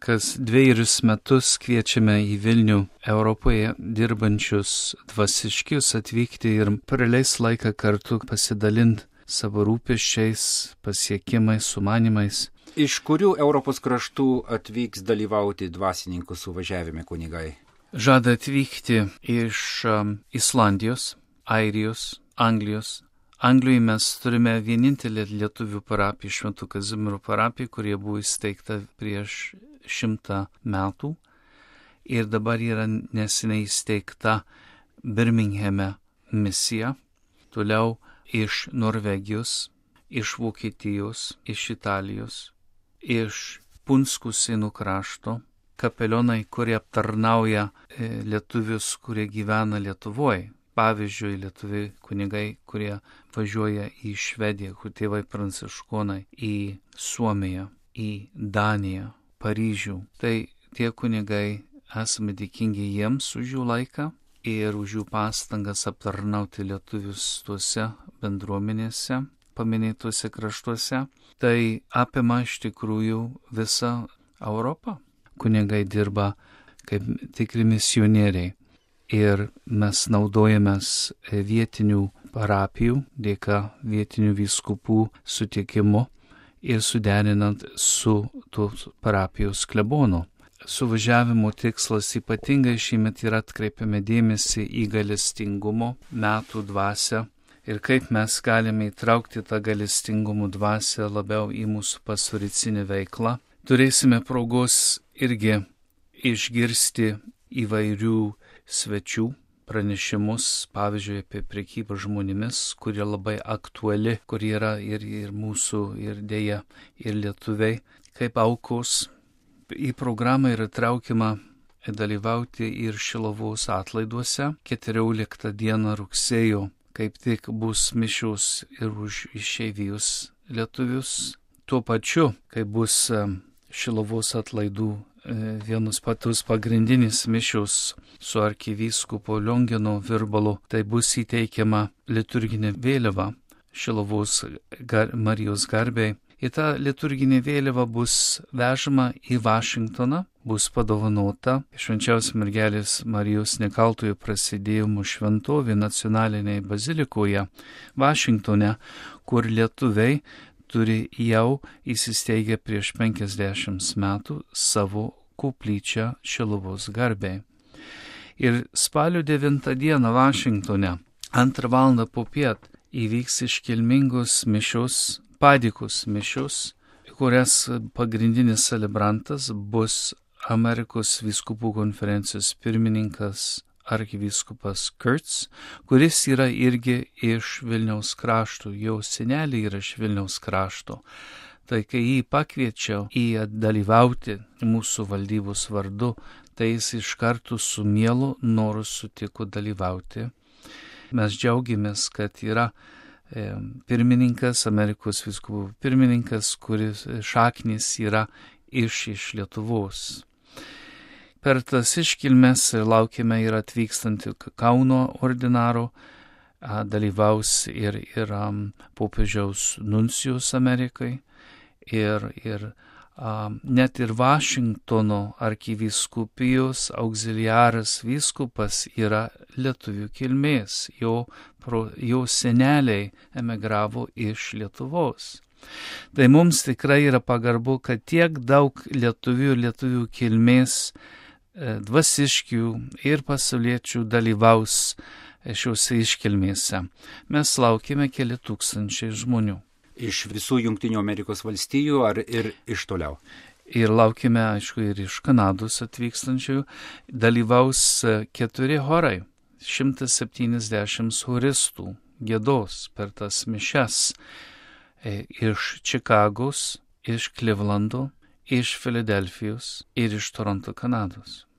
kas 2 metus kviečiame į Vilnių Europoje dirbančius dvasiškius atvykti ir praleis laiką kartu pasidalinti savo rūpesčiais, pasiekimais, sumanimais. Iš kurių Europos kraštų atvyks dalyvauti dvasininkų suvažiavime kunigai? Žada atvykti iš Islandijos, Airijos, Anglijos. Anglijoje mes turime vienintelį lietuvių parapiją, Šventų Kazimiero parapiją, kurie buvo įsteigta prieš 100 metų. Ir dabar yra neseniai įsteigta Birminghame misija. Toliau iš Norvegijos, iš Vokietijos, iš Italijos, iš Punskų Sėnų krašto, kapelionai, kurie aptarnauja lietuvius, kurie gyvena Lietuvoje. Pavyzdžiui, lietuviai kunigai, kurie važiuoja į Švediją, kur tėvai pranciškonai, į Suomiją, į Daniją, Paryžių. Tai tie kunigai, esame dėkingi jiems už jų laiką ir už jų pastangas aptarnauti lietuvius tuose bendruomenėse, paminėtuose kraštuose. Tai apima iš tikrųjų visą Europą. Kunigai dirba kaip tikri misionieriai. Ir mes naudojamės vietinių parapijų dėka vietinių vyskupų sutikimu ir suderinant su tos parapijos klebonu. Suvažiavimo tikslas ypatingai šįmet yra atkreipiame dėmesį į gailestingumo metų dvasią ir kaip mes galime įtraukti tą gailestingumo dvasią labiau į mūsų pastoricinę veiklą. Turėsime progos irgi išgirsti įvairių svečių pranešimus, pavyzdžiui, apie prekybą žmonėmis, kurie labai aktuali, kurie yra ir mūsų, ir dėja, ir lietuviai, kaip aukos. Į programą yra traukiama dalyvauti ir Šiluvos atlaiduose. 14 dieną rugsėjo kaip tik bus mišios ir už išeivijos lietuvius. Tuo pačiu, kai bus Šiluvos atlaidų vienus patus pagrindinis mišios su arkivyskupo Liongino Virbalu, tai bus įteikiama liturginė vėliava Šiluvos Marijos garbei. Ir ta liturginė vėliava bus vežama į Vašingtoną, bus padovanota Švenčiausios mergelės Marijos nekaltojo prasidėjimo šventovė nacionalinėje bazilikoje Vašingtone, kur lietuviai turi jau įsisteigę prieš 50 metų savo koplyčią Šiluvos garbei. Ir spalio 9 dieną Vašingtone 2 valandą popiet įvyks iškilmingos mišios, padėkos mišios, kurias pagrindinis celebrantas bus Amerikos vyskupų konferencijos pirmininkas arkivyskupas Kurtz, kuris yra irgi iš Vilniaus krašto, jo seneliai yra iš Vilniaus krašto. Tai kai jį pakviečiau dalyvauti mūsų valdybos vardu, tai jis iš karto su mielu noru sutiko dalyvauti. Mes džiaugiamės, kad yra pirmininkas, Amerikos vyskupų pirmininkas, kuris šaknis yra iš Lietuvos. Per tas iškilmes laukiame ir atvykstančių Kauno ordinaro, dalyvaus ir popiežiaus nuncijus Amerikai, ir net ir Vašingtono arkivyskupijos auxiliaras vyskupas yra lietuvių kilmės, jo seneliai emigravo iš Lietuvos. Tai mums tikrai yra pagarbu, kad tiek daug lietuvių kilmės dvasiškių ir pasauliečių dalyvaus šiuose iškilmėse. Mes laukime keli tūkstančiai žmonių. Iš visų Jungtinių Amerikos valstijų ar ir iš toliau? Ir laukime, aišku, ir iš Kanados atvykstančių. Dalyvaus 4 chorai, 170 choristų giedos per tas mišias iš Čikagos, iš Klivlando, iš Filadelfijos ir iš Toronto, Kanados.